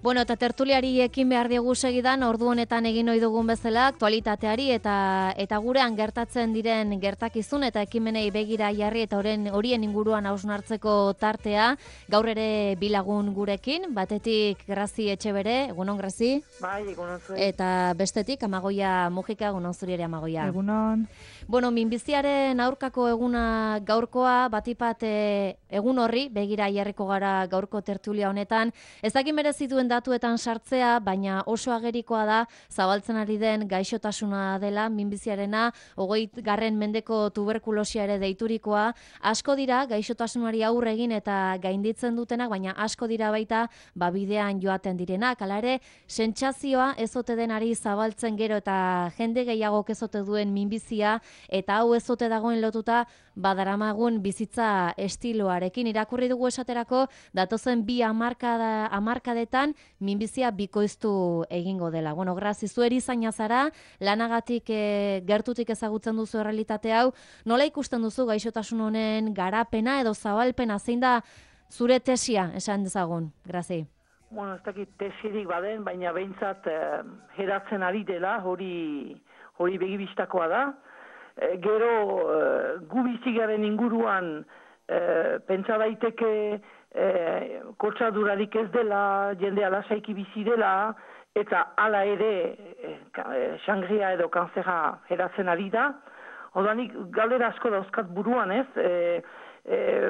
Bueno, eta tertuliari ekin behar diegu segidan, ordu honetan egin ohi dugun bezala, aktualitateari eta gurean gertatzen diren gertakizun eta ekimenei begira jarri eta horien inguruan hausnartzeko tartea, gaur ere bilagun gurekin, batetik Grazi Etxebere, egunon Grazi? Bai, egunon zuen. Eta bestetik Amagoia Mujika, egunon zuri ere Amagoia. Egunon. Bueno, minbiziaren aurkako eguna gaurkoa, batipat egun horri, begira jarriko gara gaurko tertulia honetan, ezakin merezituen datuetan sartzea, baina oso agerikoa da zabaltzen ari den gaixotasuna dela, minbiziarena, 20. mendeko tuberkulosia ere deiturikoa, asko dira gaixotasunari aurre egin eta gainditzen dutenak, baina asko dira baita bidean joaten direnak, hala ere, sentsazioa ezote denari zabaltzen gero eta jende gehiagok ezote duen minbizia, eta hau ezote dagoen lotuta badaramagun bizitza estiloarekin. Irakurri dugu esaterako, datozen 2 hamarkadetan minbizia bikoiztu egingo dela. Bueno, Grazi, zu erizaina zara, lanagatik gertutik ezagutzen duzu errealitate hau, nola ikusten duzu gaixotasun honen garapena edo zabalpena, zein da zure tesia esan dezagun, Grazi? Bueno, ez dakit tesirik baden, baina behintzat hedatzen ari dela, hori begibistakoa da. Gero gu bizigaren inguruan pentsa daiteke kotxadurarik ez dela, jendea lasaiki bizi dela, eta hala ere sangria edo kanzera hedatzen ari da. Odanik galdera asko dauzkat buruan ez,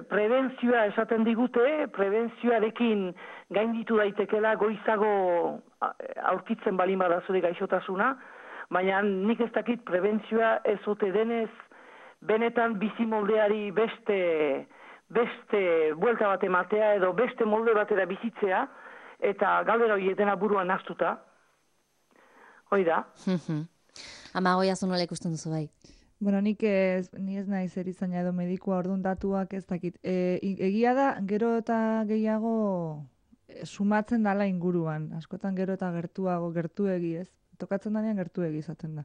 prebentzioa esaten digute, prebentzioarekin gainditu daitekela goizago aurkitzen balin bada zure gaixotasuna, baina nik ez dakit prebentzioa ez ote denez benetan bizimoldeari beste buelta bat ematea edo beste molde batera bizitzea, eta galdera hori dena buruan naztuta. Hoi da. Amagoia zu nola ikusten duzu bai? Bueno, ni ez naiz erizaina edo medikua, orduan datuak ez dakit. Egia da, gero eta gehiago sumatzen dala inguruan. Askotan gero eta gertuegi ez. Tokatzen danean gertuegi izaten da.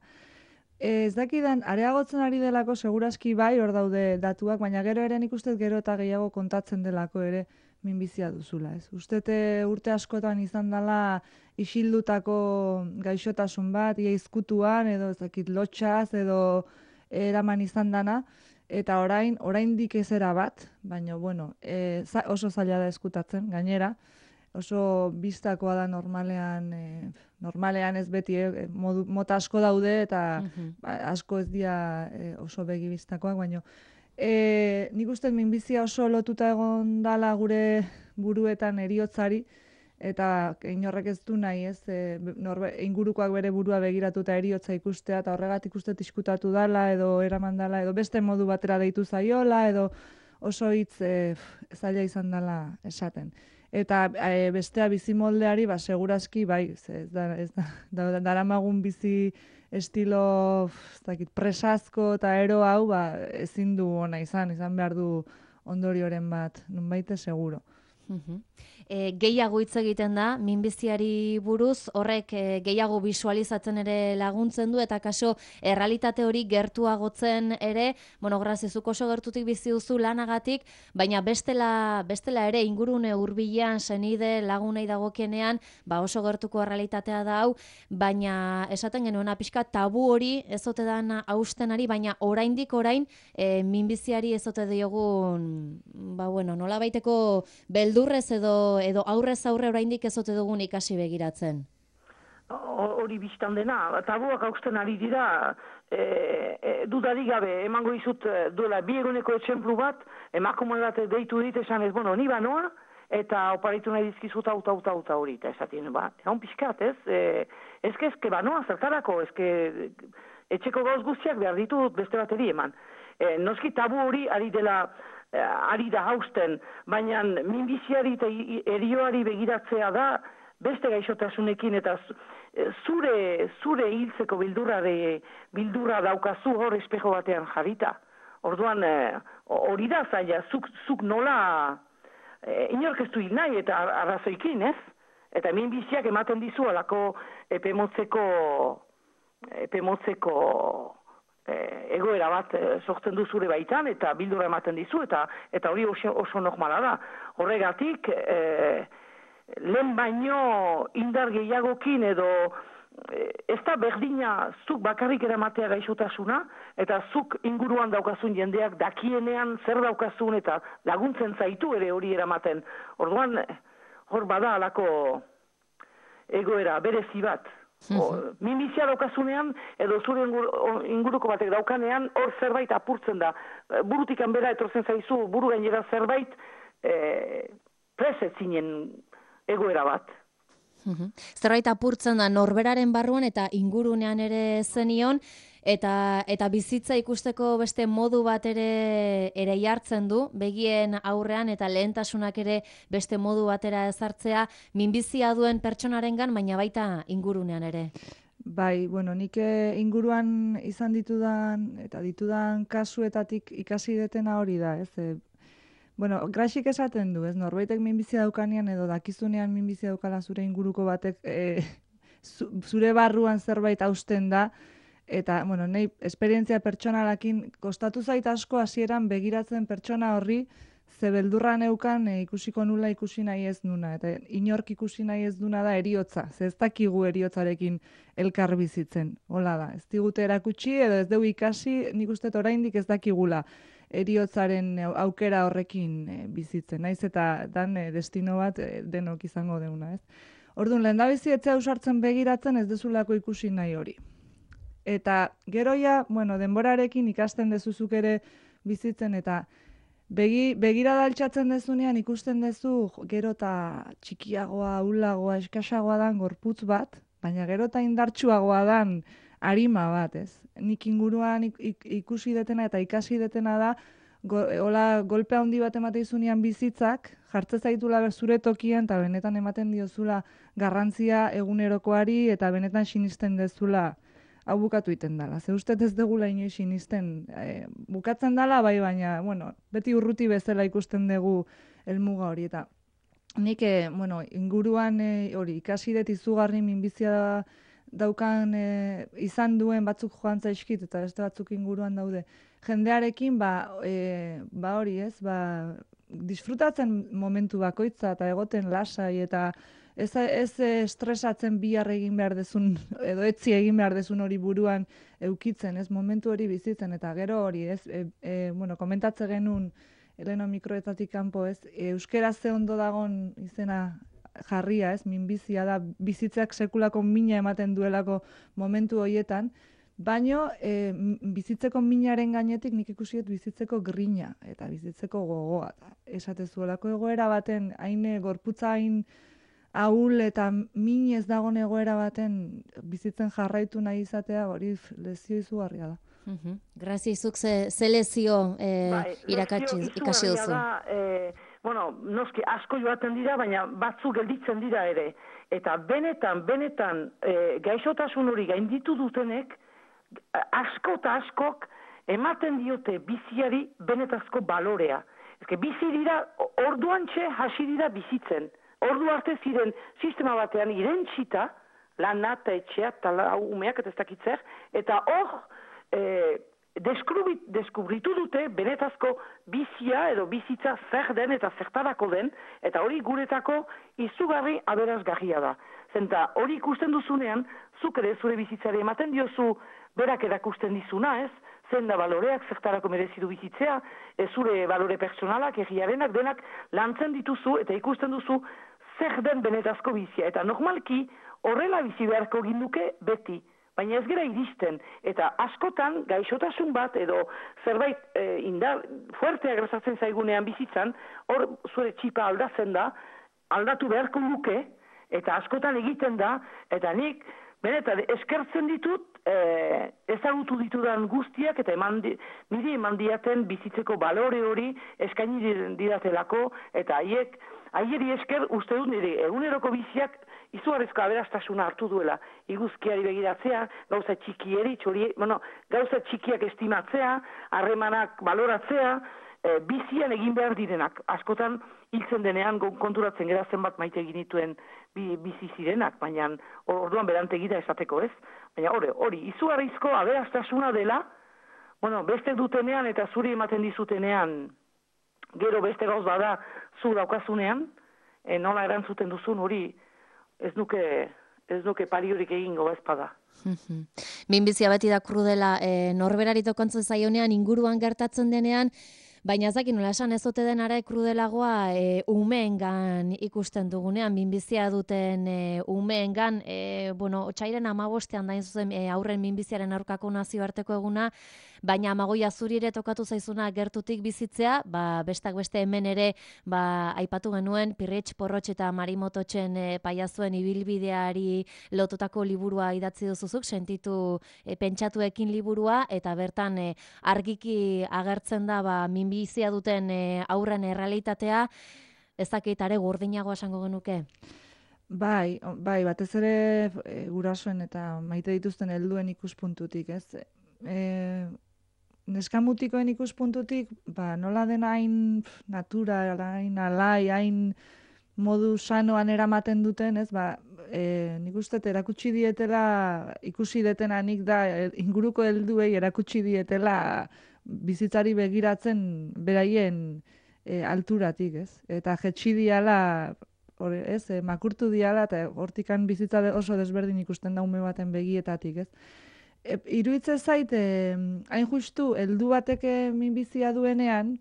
Ez dakidan, areagotzen ari delako segurazki bai hor daude datuak, baina gero ere nik uste gero eta gehiago kontatzen delako ere minbizia duzula. Ez? Ustete urte askotan izan dela isildutako gaixotasun bat, ia izkutuan edo ez dakit lotxaz edo eraman izan dana, eta oraindik ez era bat, baina bueno, oso zaila da eskutatzen, gainera, oso bistakoa da normalean ez beti, mota asko daude eta asko ez dira oso begi bistakoak, baina nik uste minbizia oso lotuta egon dala gure buruetan heriotzari, eta inorrek ez du nahi, ez, ingurukoak bere burua begiratuta heriotza ikustea, eta horregatik uste diskutatu dala, edo eraman dala, edo beste modu batera deitu zaiola, edo oso hitz zaila izan dala esaten. Eta bestea bizimoldeari, segurazki, bai, daramagun bizi estilo presazko eta ero hau, ezin du ona izan behar du ondorioren bat, nunbaite seguro. Gehiago hitz egiten da, minbiziari buruz, horrek gehiago visualizatzen ere laguntzen du, eta kaso errealitate hori gertuagotzen ere, bueno, Grazi, zuk oso gertutik bizi duzu lanagatik, baina bestela ere ingurune hurbilean senide lagunei dagokienean, oso gertuko errealitatea da hau, baina esaten genuena pixka tabu hori ezote dan haustenari, baina oraindik minbiziari ezote diogun, nola baiteko beldurrez edo aurrez aurre oraindik ezote dugun ikasi begiratzen. Hori biztan dena, tabuak hausten ari dira, dudarik gabe, emango izut duela 2 eguneko etxemplu bat, emakume bat deitu dit esan ez, ni banoa, eta oparitu nahi dizkizut auta hori, eta esatien, egon pixkat, ez? Ezke banoa zertarako, etxeko gauz guztiak behar ditut beste bateri eman. Noski tabu hori ari da hausten, baina minbiziari eta erioari begiratzea da beste gaixotasunekin eta zure hiltzeko bildurra daukazu hor espejo batean jarrita. Orduan hori da zaila, zuk nola inork ez du hil nahi eta arrazoikin, ez? Eta minbiziak ematen dizu alako epemotzeko egoera bat sortzen du zure baitan eta bildurra ematen dizu eta hori oso normala da. Horregatik lehen baino indar gehiagokin edo ez da berdina zuk bakarrik eramatea gaixotasuna, eta zuk inguruan daukazun jendeak dakienean zer daukazun eta laguntzen zaitu ere hori eramaten. Orduan, hor bada alako egoera, berezi bat. Minbizia daukazunean, edo zure inguruko batek daukanean, hor zerbait apurtzen da. Burutik hanbera etortzen zaizu, buru gainera zerbait presetzinen egoera bat. Zerbait apurtzen da norberaren barruan eta ingurunean ere zenion, eta bizitza ikusteko beste modu bat ere jartzen du, begien aurrean eta lehentasunak ere beste modu batera ezartzea, minbizia duen pertsonarengan, baina baita ingurunean ere. Bai, bueno, nik inguruan izan ditudan kasuetatik ikasi detena hori da, ez? Bueno, Graxik esaten du, ez, norbaitek minbizia daukanean edo dakizunean minbizia daukala zure inguruko batek zure barruan zerbait hausten da, eta, bueno, nahi esperientzia pertsonalakin kostatu zait asko hasieran begiratzen pertsona horri ze beldurra neukan ikusiko nula ikusi nahi ez nuna, eta inork ikusi nahi ez duna da eriotza, ze ez dakigu eriotzarekin elkar bizitzen, hola da, ez digute erakutsi edo ez dugu ikasi, nik uste oraindik ez dakigula eriotzaren aukera horrekin bizitzen, naiz eta dan destino bat denok izango deuna, ez? Orduan, lehendabizi etzea usartzen begiratzen ez dezulako ikusi nahi hori. Eta geroia, bueno, denborarekin ikasten dezuzuk ere bizitzen, eta begirada altxatzen dezunean ikusten dezu gero eta txikiagoa, ahulagoa, eskasagoa dan gorputz bat, baina gero eta indartsuagoa dan arima bat, ez? Nik inguruan ikusi detena eta ikasi detena da, hola golpe handi bat ematen dizunean bizitzak, jartze zaitula zure tokian eta benetan ematen diozula garrantzia egunerokoari eta benetan sinisten dezula hau bukatu iten dela. Ze uste ez degula inoiz sinisten bukatzen dela, bai, baina, bueno, beti urruti bezala ikusten dugu helmuga hori. Eta nik, bueno, inguruan hori ikasi dut izugarri minbizia daukan izan duen batzuk joan zaizkit eta beste batzuk inguruan daude. Jendearekin, hori ez, disfrutatzen momentu bakoitza eta egoten lasai eta ez estresatzen bihar egin behar dezun, edo etzi egin behar dezun hori buruan eukitzen, ez momentu hori bizitzen, eta gero hori, ez, bueno, komentatze genuen, Eleno mikroetatik kanpo, ez, euskera ze ondo dagon izena jarria, ez, minbizia da, bizitzak sekulako mina ematen duelako momentu horietan, baino bizitzeko minaren gainetik nik ikusiet bizitzeko grina eta bizitzeko gogoa. Esatezuelako egoera baten, hain gorputza hain ahul eta min ez dagoen egoera baten bizitzen jarraitu nahi izatea, hori lezio izugarria da. Grazia, izuk ze lezio ikasi duzu? Bueno, noski asko joaten dira, baina batzuk gelditzen dira ere. Eta benetan gaixotasun hori gainditu dutenek, asko eta askok ematen diote biziari benetazko balorea. Ezke, bizi dira, orduantxe hasi dira bizitzen. Ordu arte ziren sistema batean irentsita, lana eta etxea, eta umeak eta ez dakitzer, eta hor deskubritu dute benetazko bizia edo bizitza zer den eta zertarako den, eta hori guretako izugarri aberazgarria da. Zenta hori ikusten duzunean, zuk ere zure bizitzari ematen diozu berak erakusten dizuna, ez? Zen da baloreak, zertarako merezi du bizitzea, zure balore pertsonalak, egiarenak, denak lantzen dituzu eta ikusten duzu zer den benetazko bizia. Eta normalki horrela bizi beharko ginduke beti, baina ez gera iristen. Eta askotan gaixotasun bat edo zerbait fuertea gertatzen zaigunean bizitzan, hor zure txipa aldatzen da, aldatu beharko luke, eta askotan egiten da, eta nik benetan eskertzen ditut, ezagutu ditudan guztiak eta niri eman diaten bizitzeko balore hori eskaini didatelako, eta haieri esker uste dut nire eguneroko biziak izugarrizko aberastasuna hartu duela. Iguzkiari begiratzea, gauza txikieri, gauza txikiak estimatzea, harremanak baloratzea, bizian egin behar direnak. Askotan hiltzen denean konturatzen gara zenbat maite egin dituen bizi zirenak, baina orduan berantegida esateko, ez? Baina hori, izugarrizko aberastasuna dela, beste dutenean eta zuri ematen dizutenean, gero beste gauz bada zu daukazunean, nola erantzuten duzun hori, ez nuke pariorik egingo ezpada. Minbizia beti da krudela, norberari tokontzen zaionean, inguruan gertatzen denean, baina ez dakit nola esan ez ote denara krudelagoa umeengan ikusten dugunean, minbizia duten umeengan, otsaiaren 15ean da zuzen aurren minbiziaren aurkako nazioarteko eguna, baina 25 zurire tokatu zaizuna gertutik bizitzea, bestak beste hemen ere, aipatu genuen, Pirritx Porrotx eta Marimototxen paiazuen ibilbideari lotutako liburua idatzi duzuzuk, sentitu pentsatuekin liburua, eta bertan argiki agertzen da minbizia duten aurren errealitatea, ez dakit are gordinagoa esango genuke? Bai, batez ere gurasoen eta maite dituzten helduen ikuspuntutik, ez? Neskamutikoen ikuspuntutik, nola den hain natura, hain alai, hain modu sanoan eramaten duten, ez? Nik uste erakutsi dietela, ikusi detena nik da, inguruko helduei erakutsi dietela bizitzari begiratzen beraien alturatik, ez? Eta jetxi diala, makurtu diala, eta hortikan bizitza oso desberdin ikusten da ume baten begietatik, ez? Iruditzen zait, hain justu, heldu batek minbizia duenean,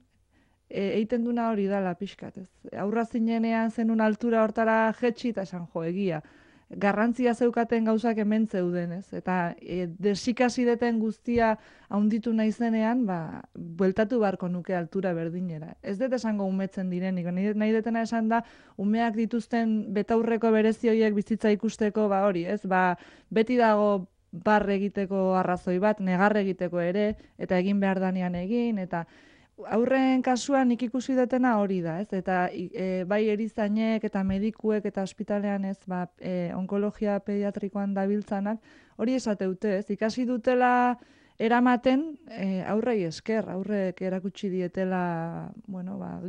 egiten duna hori dala pixkat, ez? Aurra zinenean zenun altura hortara jetxi eta esan egia. Garrantzia zeukaten gauzak hemen zeuden, ez? Eta desikasi deten guztia haunditu naizenean, bueltatu beharko nuke altura berdinera. Ez dut esango umetzen direnik, nahi detena esan da, umeak dituzten betaurreko berezioiek bizitza ikusteko, hori, ez? Beti dago bar egiteko arrazoi bat, negar egiteko ere, eta egin behar danean egin, eta aurren kasuan nik ikusi detena hori da, ez? Eta bai erizainek eta medikuek eta ospitalean, ez, onkologia pediatrikoan dabiltzanak, hori esateute, ez? Ikasi dutela eramaten aurrei esker, aurrek erakutsi dietela,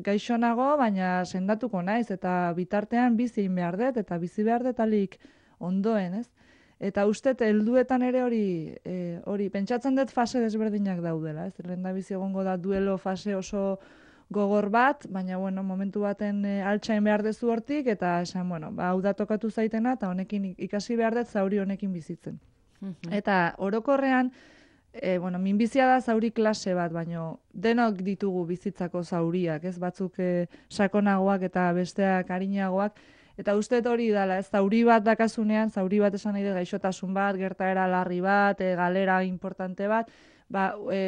gaixonago, baina sendatuko naiz, eta bitartean bizi behar dut, eta bizi behar dut alik ondoen, ez? Eta uste, helduetan ere hori, pentsatzen dut fase desberdinak daudela, ez? Lehendabizi egongo da duelo fase oso gogor bat, baina, momentu baten altxain behar dezu hortik, eta esan, hau da tokatu zaitena, eta honekin ikasi behar dut zauri honekin bizitzen. Eta orokorrean, minbizia da zauri klase bat, baina denok ditugu bizitzako zauriak, ez? Batzuk sakonagoak eta besteak arinagoak, eta uste hori dala, ez, zauri bat dakazunean, zauri bat esan nahi da gaixotasun bat, gertaera larri bat, galera importante bat,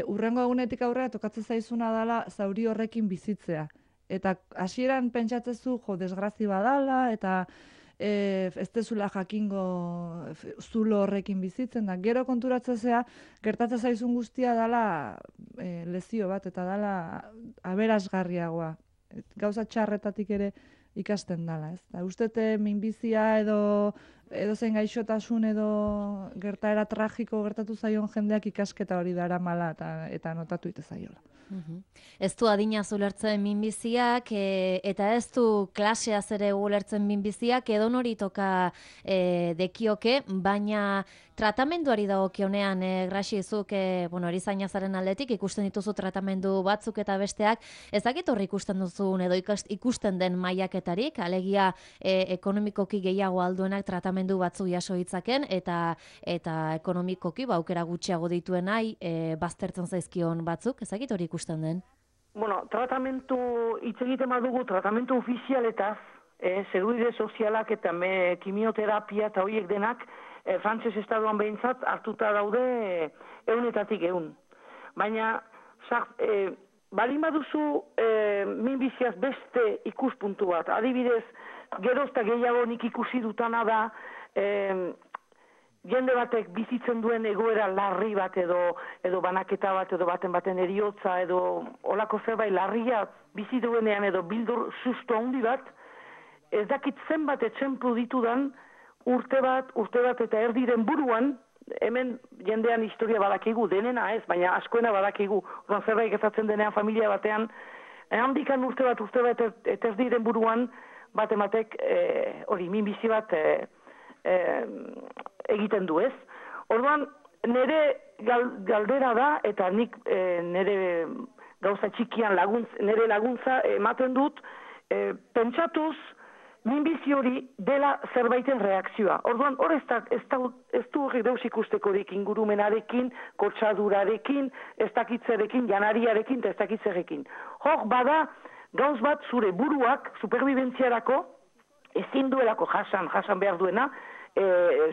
urrengo egunetik aurrera tokatzen zaizuna dala zauri horrekin bizitzea. Eta hasieran pentsatzezu, desgrazi badala, eta ez dezula jakingo zulo horrekin bizitzen, da gero konturatzezea, gertatzen zaizun guztia dala lezio bat, eta dala aberasgarriagoa. Gauza txarretatik ere ikasten dala, ez? Ustete minbizia edo zein gaixotasun edo gertaera tragiko gertatu zaion jendeak ikasketa hori daramala eta notatu ite zaiola. Ez du adina ulertzen minbiziak, eta ez du klaseaz ere ulertzen minbiziak, edo nori toka dekioke, baina tratamenduari dagokionean, Graxizuk, erizainazaren aldetik, ikusten dituzu tratamendu batzuk eta besteak, ez dakit horri ikusten duzun edo ikusten den mailaketarik, alegia ekonomikoki gehiago alduenak tratamendu batzu jaso ditzaken, eta ekonomikoki aukera gutxiago dituen nahi baztertzen zaizkion batzuk, ez dakit hori ikusten den? Tratamentu, hitz egiten badugu, tratamentu ofizialetaz, seguridade sozialak eta kimioterapia eta horiek denak, Frantses estatuan behintzat hartuta daude 100%. Baina, balin baduzu minbiziaz beste ikuspuntu bat. Adibidez, geroz eta gehiago nik ikusi dutana da, jende batek bizitzen duen egoera larri bat edo banaketa bat edo baten eriotza edo olako zerbait larria bizi duenean edo bildur susto handi bat, ez dakit zenbat etxemplu ditudan urte bat eta erdiren buruan, hemen jendean historia badakigu, denena ez, baina askoena badakigu, zerbait gertatzen denean familia batean, handikan urte bat eta erdiren buruan, batematek hori minbizi bat egiten du ez. Orduan, nire galdera da, eta nik nire gauza txikian nire laguntza ematen dut, pentsatuz minbizi hori dela zerbaiten reakzioa. Orduan, hor ez du horrek deus ikustekorik ingurumenarekin, kotxadurarekin, ez dakitzerekin, janariarekin, eta ez dakitzerekin. Hor, bada, gauz bat zure buruak, superbibentziarako, ezin duelako jasan behar duena,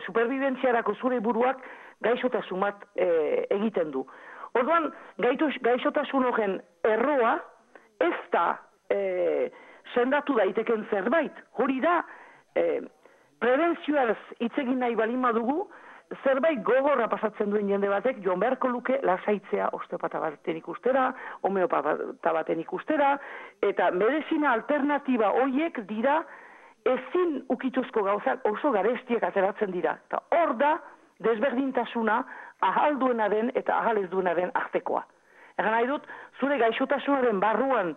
superbibentziarako zure buruak gaixotasun bat egiten du. Orduan, gaixotasun horren erroa, ez da sendatu daiteken zerbait. Hori da, prebentzioaz itzegin nahi balin badugu, zerbait gogorra pasatzen duen jende batek, joan beharko luke lasaitzea osteopata baten ikustera, homeopata baten ikustera, eta medizina alternatiba horiek dira ezin ukituzko gauzak oso garestiak ateratzen dira. Eta hor da, desberdintasuna ahal duenaren eta ahal ez duenaren artekoa. Egan nahi dut, zure gaixotasunaren barruan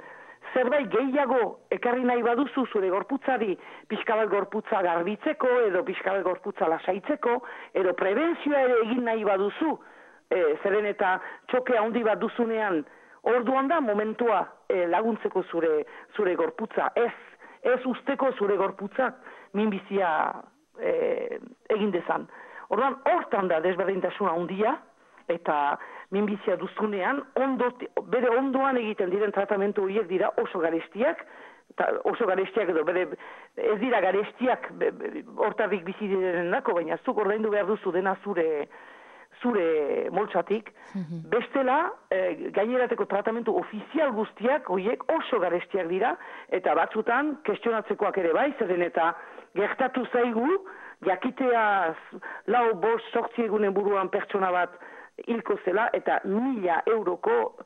zerbait gehiago ekarri nahi baduzu zure gorputzari pixka bat gorputza garbitzeko edo pixka bat gorputza lasaitzeko edo prebentzioa ere egin nahi baduzu, zeren eta txoke handi bat duzunean orduan da momentua laguntzeko zure gorputza, ez usteko zure gorputzak minbizia egin dezan. Orduan, hortan da desberdintasuna handia, eta minbizia duzunean, bere ondoan egiten diren tratamentu horiek dira oso garestiak edo ez dira garestiak hortarrik bizi direnenako, baina zuk ordaindu behar duzu dena zure moltsatik. Bestela, gainerateko tratamentu ofizial guztiak horiek oso garestiak dira, eta batzutan kestionatzekoak ere bai, zeren eta gertatu zaigu, jakitea 4-5 egunen buruan pertsona bat hilko zela eta 1.000 euroko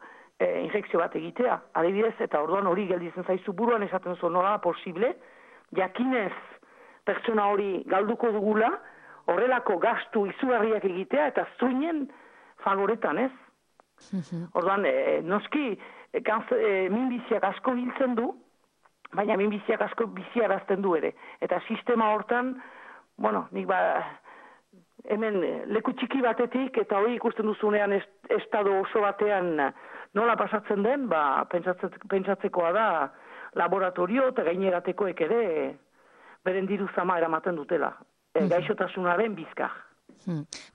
injekzio bat egitea. Adibidez, eta orduan hori gelditzen zaizu buruan esaten zuen nola posible, jakinez pertsona hori galduko dugula, horrelako gastu izugarriak egitea eta zuinen favoretan, ez? Orduan, noski, minbiziak asko hiltzen du, baina minbiziak asko biziarazten du ere. Eta sistema hortan, nik hemen leku txiki batetik eta hori ikusten duzunean estado oso batean nola pasatzen den, pentsatzekoa da laboratorio eta gaineratekoek ere beren diru zama eramaten dutela. Gaixotasunaren bizkar.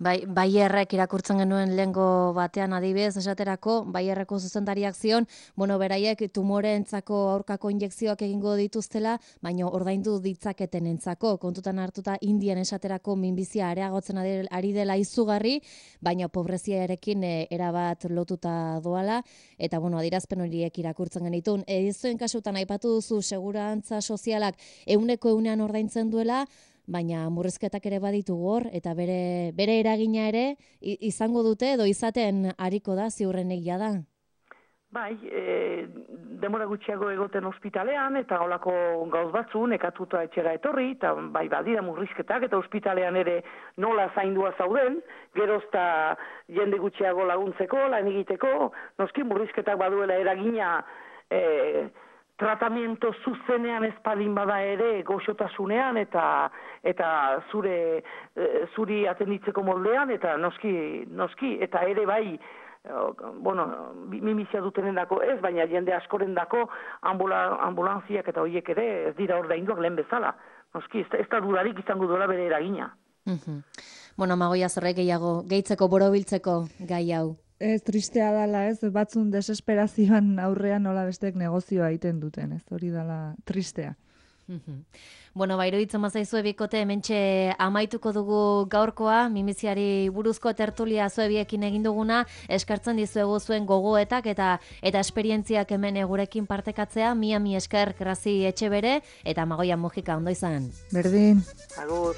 Bayerrek irakurtzen genuen lehengo batean adibidez esaterako, Bayerreko zuzendariak zion, beraiek tumoreentzako aurkako injekzioak egingo dituztela, baina ordaindu ditzaketenentzako. Kontutan hartuta Indian esaterako minbizia areagotzen ari dela izugarri, baina pobreziarekin erabat lotuta doala, eta adierazpen horiek irakurtzen genitun. Zuen kasutan aipatu duzu segurantza sozialak 100% ordaintzen duela, baina murrizketak ere baditu hor, eta bere eragina ere izango dute edo izaten ariko da ziurrenik jada. Bai, demora gutxiago egoten ospitalean, eta holako gauz batzu nekatuta etxera etorri, eta bai badira murrizketak, eta ospitalean ere nola zaindua zauden, gerozta jende gutxiago laguntzeko, lan egiteko, noski murrizketak baduela eragina tratamiento zuzenean ezpadin bada ere goxotasunean eta zuri atenditzeko moldean, eta noski, eta ere bai, minbizia dutenendako ez, baina jende askorendako ambulantziak eta horiek ere ez dira ordainduak lehen bezala. Noski, ez da dudarik izango duela bere eragina. Magoia zorrek gehiago, gehitzeko borobiltzeko gai hau. Ez tristea dala, ez, batzun desesperazioan aurrean nola bestek negozioa egiten duten, ez, hori dala tristea. Iruditzen mazaizu ebikote, hementxe amaituko dugu gaurkoa, minbiziari buruzko tertulia zuebiekin egin duguna, eskartzen dizuegu zuen gogoetak eta esperientziak hemen gurekin partekatzea, mi esker Grazi Etxebere eta Magoia Mujika, ondo izan. Berdin. Agur.